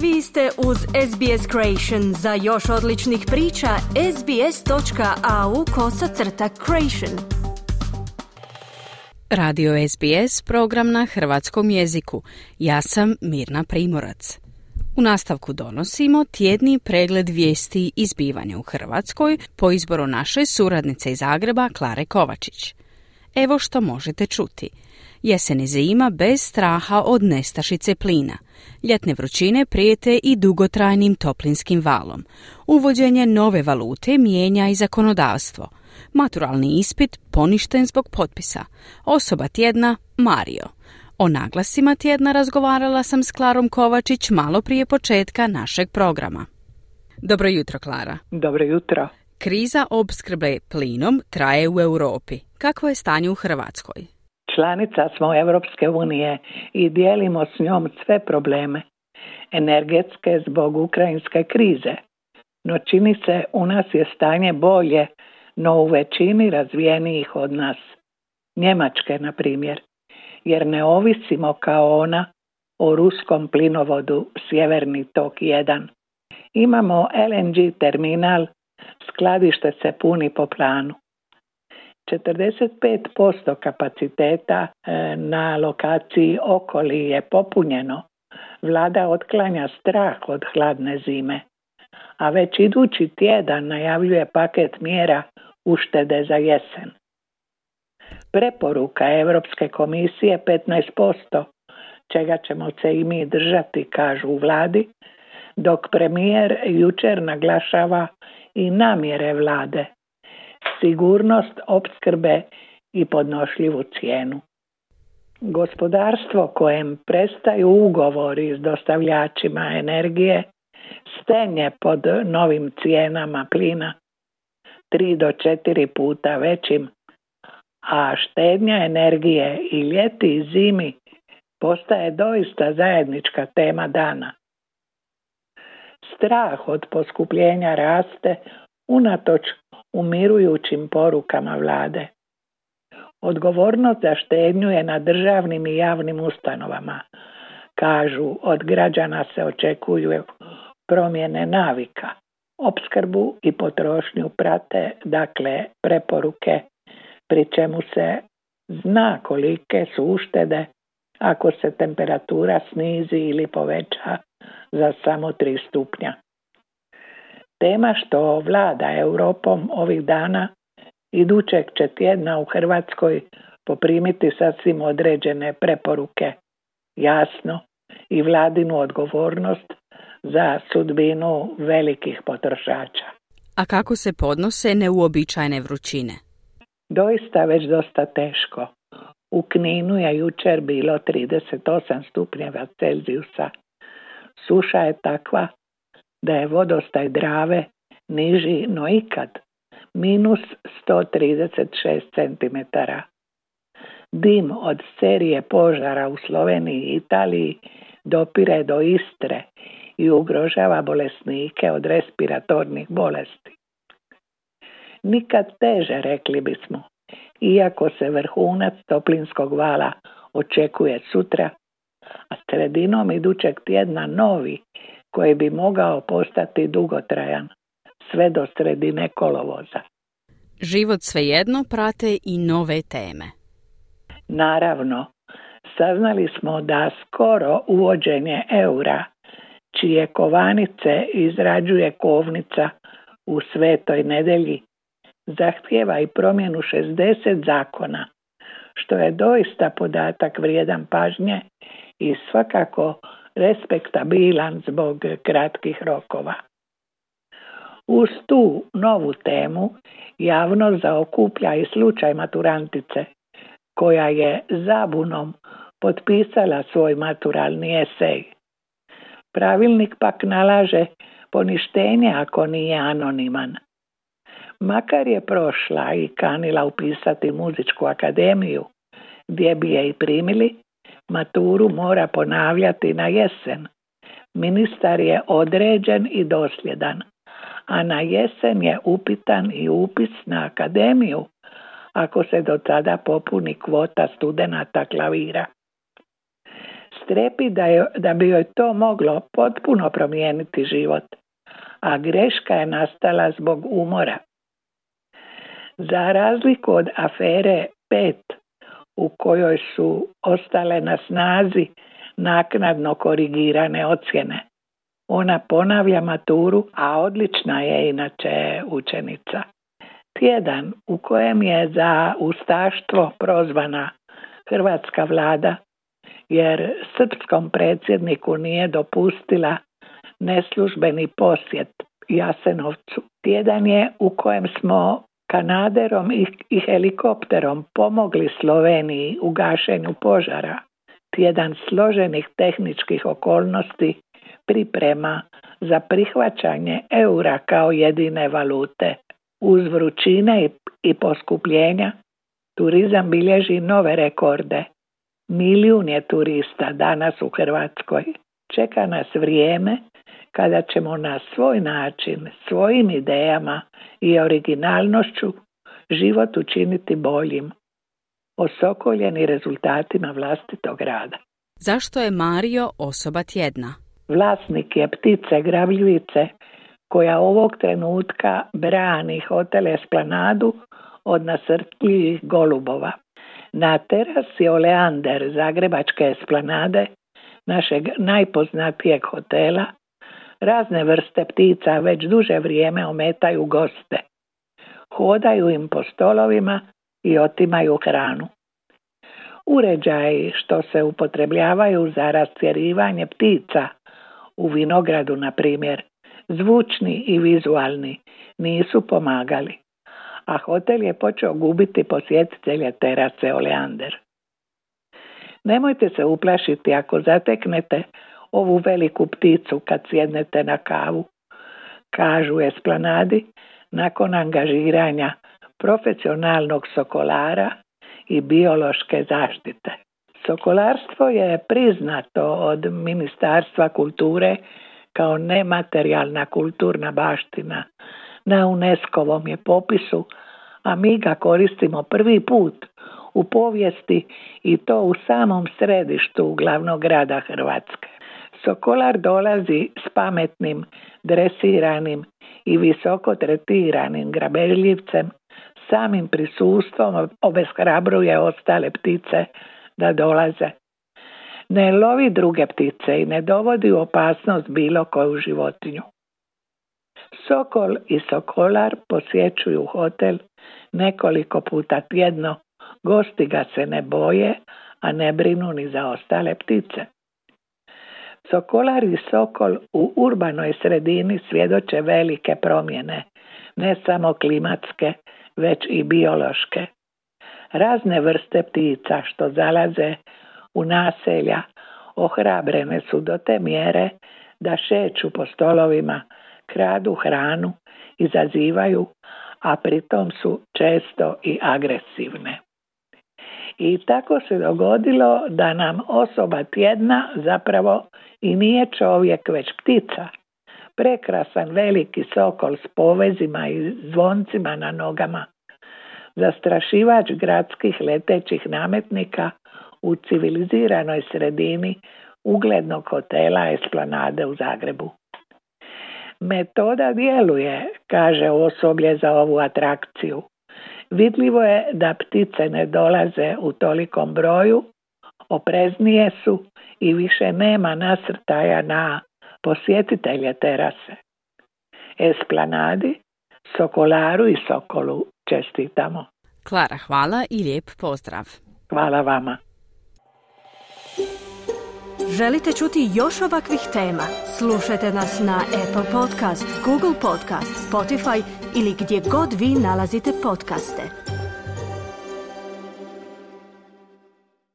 Vi ste uz SBS Creation. Za još odličnih priča, sbs.au/creation. Radio SBS, program na hrvatskom jeziku. Ja sam Mirna Primorac. U nastavku donosimo tjedni pregled vijesti i zbivanja u Hrvatskoj po izboru naše suradnice iz Zagreba Klare Kovačić. Evo što možete čuti. Jesen i zima bez straha od nestašice plina. Ljetne vrućine prijete i dugotrajnim toplinskim valom. Uvođenje nove valute mijenja i zakonodavstvo. Maturalni ispit poništen zbog potpisa. Osoba tjedna Mario. O naglasima tjedna razgovarala sam s Klarom Kovačić malo prije početka našeg programa. Dobro jutro, Klara. Dobro jutro. Kriza opskrbe plinom traje u Europi. Kakvo je stanje u Hrvatskoj? Članica smo Europske unije i dijelimo s njom sve probleme energetske zbog ukrajinske krize. No čini se u nas je stanje bolje, no u većini razvijenijih od nas. Njemačke, na primjer, jer ne ovisimo kao ona o ruskom plinovodu Sjeverni tok 1. Imamo LNG terminal, skladište se puni po planu. 45% kapaciteta na lokaciji Okoli je popunjeno. Vlada otklanja strah od hladne zime, a već idući tjedan najavljuje paket mjera uštede za jesen. Preporuka Europske komisije 15%, čega ćemo se i mi držati, kažu u vladi, dok premijer jučer naglašava i namjere vlade, sigurnost opskrbe i podnošljivu cijenu. Gospodarstvo kojem prestaju ugovori s dostavljačima energije stenje pod novim cijenama plina 3 do 4 puta većim, a štednja energije i ljeti i zimi postaje doista zajednička tema dana. Strah od poskupljenja raste unatoč umirujućim porukama vlade. Odgovornost za štednju je na državnim i javnim ustanovama. Kažu, od građana se očekuju promjene navika. Opskrbu i potrošnju prate, dakle, preporuke, pri čemu se zna kolike su uštede ako se temperatura snizi ili poveća za samo 3 stupnja. Tema što vlada Europom ovih dana idućeg će tjedna u Hrvatskoj poprimiti sasvim određene preporuke, jasno, i vladinu odgovornost za sudbinu velikih potrošača. A kako se podnose neuobičajene vrućine? Doista već dosta teško. U Kninu je jučer bilo 38 stupnjeva Celzijusa. Suša je takva da je vodostaj Drave niži no ikad, minus 136 cm. Dim od serije požara u Sloveniji i Italiji dopire do Istre i ugrožava bolesnike od respiratornih bolesti. Nikad teže, rekli bismo, iako se vrhunac toplinskog vala očekuje sutra, a sredinom idućeg tjedna novi, koji bi mogao postati dugotrajan, sve do sredine kolovoza. Život svejedno prate i nove teme. Naravno, saznali smo da skoro uvođenje eura, čije kovanice izrađuje kovnica u Svetoj Nedelji, zahtijeva i promjenu 60 zakona, što je doista podatak vrijedan pažnje i svakako respektabilan zbog kratkih rokova. Uz tu novu temu javnost zaokuplja i slučaj maturantice, koja je zabunom potpisala svoj maturalni esej. Pravilnik pak nalaže poništenje ako nije anoniman. Makar je prošla i kanila upisati muzičku akademiju, gdje bi je i primili, maturu mora ponavljati na jesen. Ministar je određen i dosljedan, a na jesen je upitan i upis na akademiju, ako se do tada popuni kvota studenata klavira. Strepi da bi joj to moglo potpuno promijeniti život, a greška je nastala zbog umora. Za razliku od afere 5, u kojoj su ostale na snazi naknadno korigirane ocjene, ona ponavlja maturu, a odlična je inače učenica. Tjedan u kojem je za ustaštvo prozvana hrvatska vlada, jer srpskom predsjedniku nije dopustila neslužbeni posjet Jasenovcu. Tjedan je u kojem smo kanaderom i helikopterom pomogli Sloveniji u gašenju požara. Tjedan složenih tehničkih okolnosti priprema za prihvaćanje eura kao jedine valute. Uz vrućine i poskupljenja turizam bilježi nove rekorde. 1 milijun je turista danas u Hrvatskoj. Čeka nas vrijeme kada ćemo na svoj način, svojim idejama i originalnošću život učiniti boljim, osokoljeni rezultatima vlastitog rada. Zašto je Mario osoba tjedna? Vlasnik je ptice grabljivice koja ovog trenutka brani hotel Esplanadu od nasrtljivih golubova. Na terasi Oleander zagrebačke Esplanade, našeg najpoznatijeg hotela, razne vrste ptica već duže vrijeme ometaju goste. Hodaju im po stolovima i otimaju hranu. Uređaji što se upotrebljavaju za rastjerivanje ptica u vinogradu, na primjer, zvučni i vizualni, nisu pomagali, a hotel je počeo gubiti posjetitelje terase Oleander. Nemojte se uplašiti ako zateknete ovu veliku pticu kad sjednete na kavu, kažu Esplanadi nakon angažiranja profesionalnog sokolara i biološke zaštite. Sokolarstvo je priznato od Ministarstva kulture kao nematerijalna kulturna baština. Na UNESCO-vom je popisu, a mi ga koristimo prvi put u povijesti i to u samom središtu glavnog grada Hrvatske. Sokolar dolazi s pametnim, dresiranim i visoko tretiranim grabežljivcem, samim prisustvom obeshrabruje ostale ptice da dolaze. Ne lovi druge ptice i ne dovodi u opasnost bilo koju životinju. Sokol i sokolar posjećuju hotel nekoliko puta tjedno, gosti ga se ne boje, a ne brinu ni za ostale ptice. Sokolar i sokol u urbanoj sredini svjedoče velike promjene, ne samo klimatske, već i biološke. Razne vrste ptica što zalaze u naselja ohrabrene su do te mjere da šeću po stolovima, kradu hranu, izazivaju, a pritom su često i agresivne. I tako se dogodilo da nam osoba tjedna zapravo i nije čovjek, već ptica. Prekrasan veliki sokol s povezima i zvoncima na nogama. Zastrašivač gradskih letećih nametnika u civiliziranoj sredini uglednog hotela Esplanade u Zagrebu. Metoda djeluje, kaže osoblje za ovu atrakciju. Vidljivo je da ptice ne dolaze u tolikom broju, opreznije su i više nema nasrtaja na posjetitelje terase. Esplanadi, sokolaru i sokolu čestitamo. Klara, hvala i lijep pozdrav. Hvala vama. Želite čuti još ovakvih tema? Slušajte nas na Apple Podcast, Google Podcast, Spotify ili gdje god vi nalazite podcaste.